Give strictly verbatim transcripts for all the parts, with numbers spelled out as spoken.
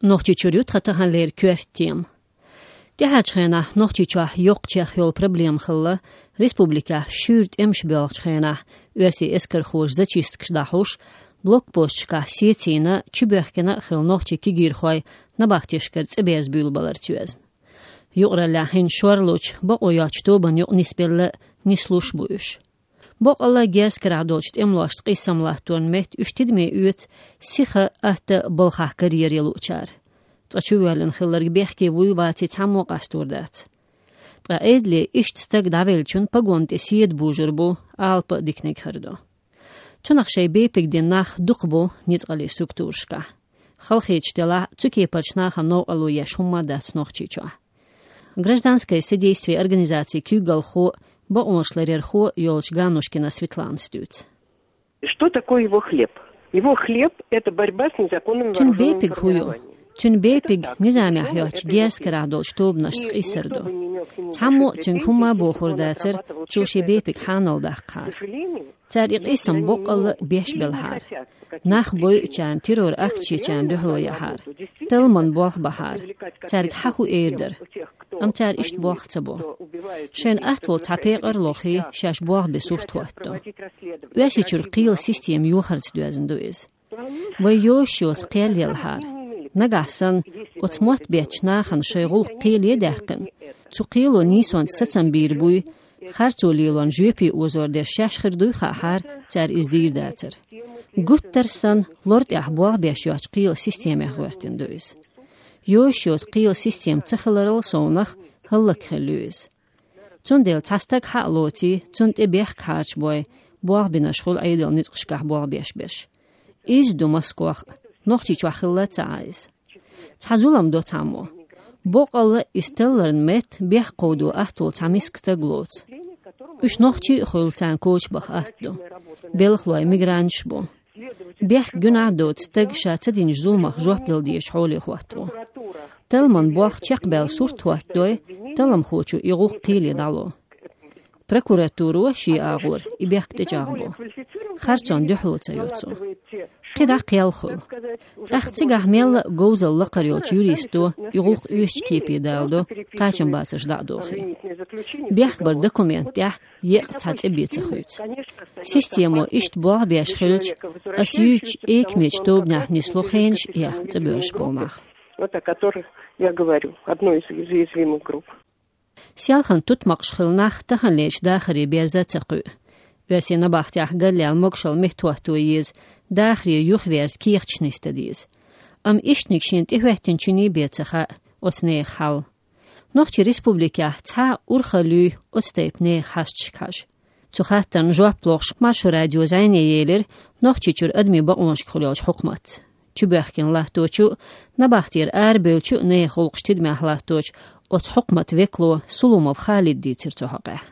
Нохчийчуьра ю тхан таханлера коьрта тема. ТӀаьхьарчу хенахь Нохчийчохь йоккхачех йолу проблема хилла, республикехь шуьйра тӀемаш боьлхучу хенахь, оьрсийн эскархоша зачисткаш дӀахьуш, блокпосташкахь сецийна, чубоьхкина а хилла нохчийн кегийрхой набахтешкара цӀе берза буьйлабаларца йоьзна. Юкъараллехь хӀинца шорлуш, бакъо йоцчу тобанна юкъа нисбелла, нислуш бу уьш. Боккъалла герз карахь долчу тӀемалошца къийсам латторан метта уьш тидаме оьцу сиха, атта балхахь карьера ялуучара. Цкъа чувоьллина хилларг бехке вуй, ваций, цхьаммо а къастор дац. Ткъа Ӏедале иштта стаг дӀавеллачун погонна тӀе седа бужур бу, алапа а диканиг хир ду. Цунах шайн бепиг дина нах дукха бу ницкъаллин структурашкахь. Халахеташ делахь а, цу кепарчу нахана новкъарло еш хӀумма а дац Нохчийчохь. Гражданское содействие организацин куьйгалхо а, бакъонаш ларъярхо а йолчу Ганнушкина Светланас дуьйцу. Что такое его хлеб? Его хлеб — это борьба с незаконным вооружённым формированием. Цуьнан бепиг хӀун ю? Цуьнан бепиг низамехь йоцчу герз карахь долчу тобанашца къийсар ду. Цхьаммо а цуьнга хӀумма а бохур дацара, цо шен бепиг хьанал даккхахьара. Цара и къийсам боккъалла а беш белхьара. Нах бойучарна, террор акцешчарна дуьхьало яхьара. Талламан болх бахьара. Цаьрга хьан хӀун эр дара? Амма цара иштта болх ца бо. Шайна атта волу цхьа пекъар а лохий, шаьш болх бен сурт хӀотто. Оьрсийчуьра кхелан система йохарца доьзна ду иза. Вай йозуш йоцу кхел елхьара. Нагахь санна, оцу мотт беттачу нахана шайн гӀуллакх кхеле а даьккхина, цу кхело нийсонца сацам бийр буй, харцо лелорна жоьпе озор дерш шаьш хир дуй хаахьара, цара иза дийр дацара. Гуттар а санна, лор тӀехь болх беш йоцчу кхелан системех гӀоьртина ду иза. Йозуш йоцу кхелан система ца хиларал совнах, хӀаллакьхилла ю иза. Цундела цхьа стаг хьа а лоций, цунна тӀе бехк хьарчабой, болх бинарш хуьлу Ӏедалан ницкъашкахь болх беш берш. Иза ду Москох а, Нохчийчохь хилла ца Ӏа иза. Цхьа зулам до цхьаммо. Боккъалла а иза талларна метта бехк кховдо атта волу цхьа миска стаг лоцу. Уьш нохчий а хуьлу, царна коча баха атта ду. Белхалой мигранташ бу. Бехк гуьнахь а доцу стаг ша ца динчу зуламах жоп дала дезачу хьоле хӀотто. Талламан болх чекхбаьлла сурт хӀоттадой, талламхочо и гӀуллакх кхеле дӀало. Прокуратуро шен агӀор и бехк тӀечӀагӀбо. Харцонна дуьхьало ца йо цо. КхидӀа кхел хуьлу. ТӀаккха цигахь мелла а говзалла лакхара йолчу юристо и гӀуллакх оьшучу кепе даладо, кхачамбацарш дӀа а дохий. Бехк баран документ тӀехь еккъа цхьа цӀе бен ца хуьйцу. Системо иштта болх беш хилча, ас юьйцучу экамечу тобанехь нисло хенаш а яьхна цӀа боьрзуш болу нах. Вот о которых я говорю, одной из уязвимых групп. Селхана тутмакъаш хилла нах таханлерчу дахаре берза а ца кхуьу. Оьрсийн набахтехь галлел могушалла меттахӀотто еза, дахаре юхаверза кехаташ нисдан деза. Амма иштаниг шена тӀехӀоьттинчуьнга бен ца хаьа оцу нехан хьал. Нохчийн республикехь цхьа а урхалла юй оцу тайпа нехан хьашташка хьажа? Цу хаттарна жоп лохуш, Маршо радио зӀене елира Нохчийчуьра адамийн бакъонашкахула йолчу хьукматца. Чубоьхкина латточу а, набахтера арабевллачу а нехан гӀуллакхаш тидамехь латточу оцу хьукматан векало Сулумов Халида дийцира цу хьокъехь.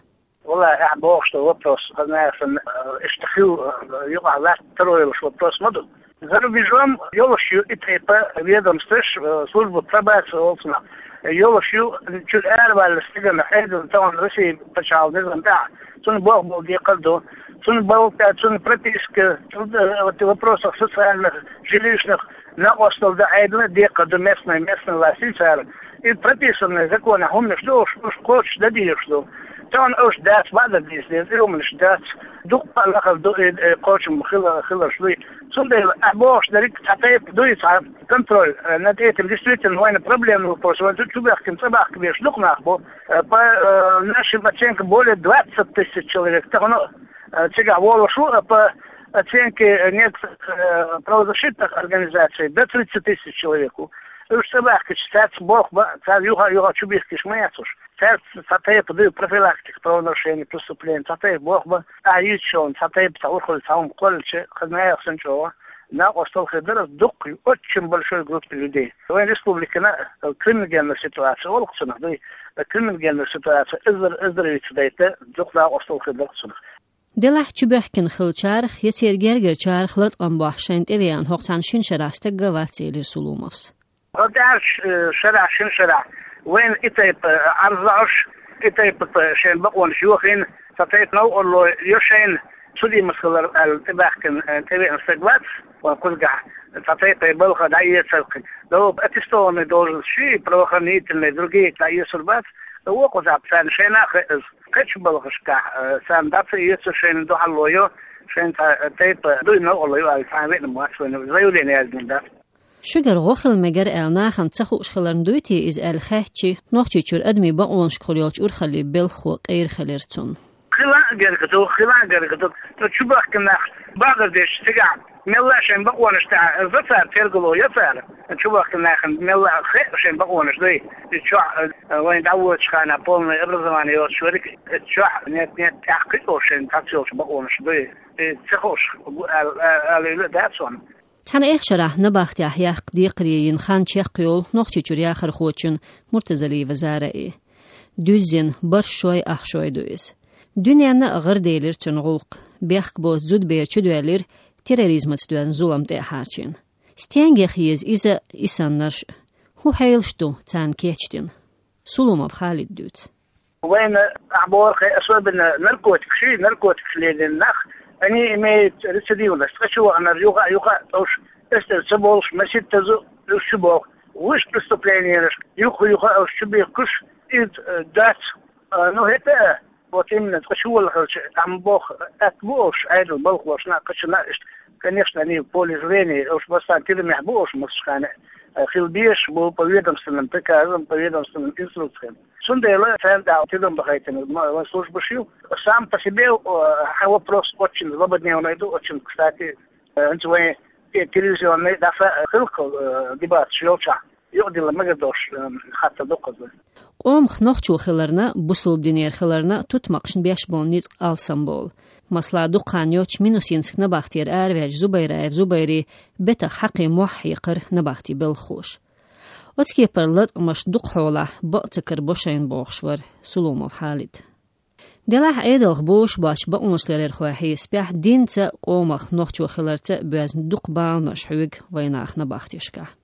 Валлахь, ахь бохуш долу вопрос, хазна яхана, э, иштта хилла, э, юкъахь латта таро йолуш вопрос ма ду. За рубежом йолуш ю и тайпа ведомстваш, э, служба пробации олу цунах. Йолуш ю, чуьра араваьлла стагана, Ӏедална тахана Россия пачхьалкхан низам тӀехь, цунна болх бала декхар ду. Цунна болх тӀе, цунна прописка, труд-, э, вот вопросах социальных, жилищных, накъосталла дан Ӏедална декхар ду, местный, местный власть цара. И прописанный законехь хӀуманаш ду, уьш, уьш кхочуш дан дезаш ду. Тахана уьш дац, бакъдар дийца деза, и хӀуманаш дац. Дуккха а лахара ду, и, и кхочуш хила-, хиларш дуй. Цундела ахь бохуш дерриг цхьа тайпа дуй, цхьа контроль, э, над этим действительно вайна проблемный вопрос. Вайн чу-, чубаьхкина, цӀа бахка беш дукха нах бу. Э, по, э, нашим оценкам, более двадцать тысяч человек. Тахана, э, цигахь волуш ву, э, по оценке, э, некоторых, э, правозащитных организаций, до тридцати тысяч человек ву. Уьш цӀа бахкича, цаьрца болх бан, цара юха-юха чубихкиш ма яц уьш. Цаьрца цхьа тайпа дуй профилактика правонарушений, преступлений, цхьа тайпа болх бан, ахь йийцачунна цхьа тайпа цхьа урхалла, цхьа хӀума кхоллича, хазна яхана чӀогӀа накъосталла хир дара дуккха, очень большой группе людей. Вайн республикана, э, криминогенная ситуация олу-кх цунах дуй, э, криминогенная ситуация эзар, эзар вица дайта, дукха накъосталла хир дара-кх цунах. Делахь чубоьхкина хиллачарах я церан гергарчарах латкъам бохьуш шайна тӀевеана хӀокху цхьана шина шарахь стаг а вац, элира Сулумовс. ХӀокху тӀаьххьарчу, э, шарахь, шина шарахь вайна и тайпа, э, Ӏарз лаьуш, и тайпа, э, шайн бакъонаш йохийна, цхьа тайпа новкъарло йо шайна, Судимость хилар аьлла тӀебаьхкина, э, тӀевеана стаг вац, вайн кхузгахь цхьа тайпа балха дӀаэцарх. Дов аттестованный должность ши, правоохранительный, другие дӀаэцур бац. Вокху зӀапа царна шайна а хеза. Кхечу балхашкахь, э, царна дӀа ца эцу, шайна дуьхьал ло йо, шайна цхьа, э, тайпа дуй новкъарло ю аьлла, цхьа а веана вац вайна. Заявление яздина дац. Шуьгара гӀо хила мегар аьлла нахана ца хууш хиларна дуй те иза аьлла хаьттича, Нохчийчуьра адамийн бакъонашкахула йолчу урхаллин белхахо къера хилира цунна. Хила а герга ду, хила а герга ду. Ну, чубахкина нах багар деш цигахь, мелла а шайн бакъонаш тӀехь, за цара тергало я цара. Чубахкина нахана мелла а хе шайн бакъонаш дуй. И чохь, э, вайн дӀавоьдучу хана полное образование йоцуш верг, и чохь нет-нет, тӀаккха кхин а шайн цхьацца йолчу бакъонаш дуй. И ца хууш, аьлла, аьлла, аьлла дац ван. Цхьана эха шарахь набахтехь яккха декхаре йина хан чекхйолу Нохчийчуьра яхархочун Муртазалиева Зараи. Дуьззина бархӀ шой, ах шой ду иза. Дуьненна а гӀараделира цуьнан гӀуллакх, бехк боцу зудабер чудоьллира терроризмаца доьзна зулам тӀе а хьарчийна. Стенга яха еза иза, и саннарш а? ХӀун хьелаш ду царна кечдина? Сулумов Халида дуьйцу. Вайна ахь боху, хе, особенно наркотикаш, наркотикаш лелийна нах, они имеют рецидивность. Ткъа чу ваханарш юха а, юха а тӀовш, эстер ца болуш, маситтаза уьш чу боху. Вуьш преступлениеш юха-юха а уьш чу бихкуш, иза, э, дац. А, ну, хӀета, вот именно, ткъа чу валахарча, ахьа боху, атта бу уьш, Ӏедал балхошна а, кхачана а иштта. Конечно, они в поле зрения, уьш массарна тиламехь бу уьш массачу хана, э, хила безаш бу по ведомственным приказам, по ведомственным инструкциям. Цундела царна тӀехь тидам бахайтина ма-, вайн службаш ю. Сам по себе, э, хьан вопрос очень злободневный ду, очень, кстати, э, хӀинца вайн те-, телевизионный дафа хилла, э, дебаташ йолчохь, юкъадилла мегар долуш, э, хаттар ду кхуза. Къомах нохчо хиларна, бусалба динера хиларна тутмакхашна беш болу ницкъ алсам болу. Масала, дукха хан йоццуш Минусинск набахтера араваьллачу Зубайраев Зубайри бетах хьакхе мохь хьекхара набахти белхахоша. Оцу кепара латкъамаш дукха хьолахь бакъ ца карабо шайна бохуш вара Сулумов Халид. Делахь Ӏедалх бозуш боцчу бакъонашларъярхойн хьесапехь динца а, къомах нохчо хиларца а боьзна дукха баланаш хьоьгу вайнах набахтешкахь.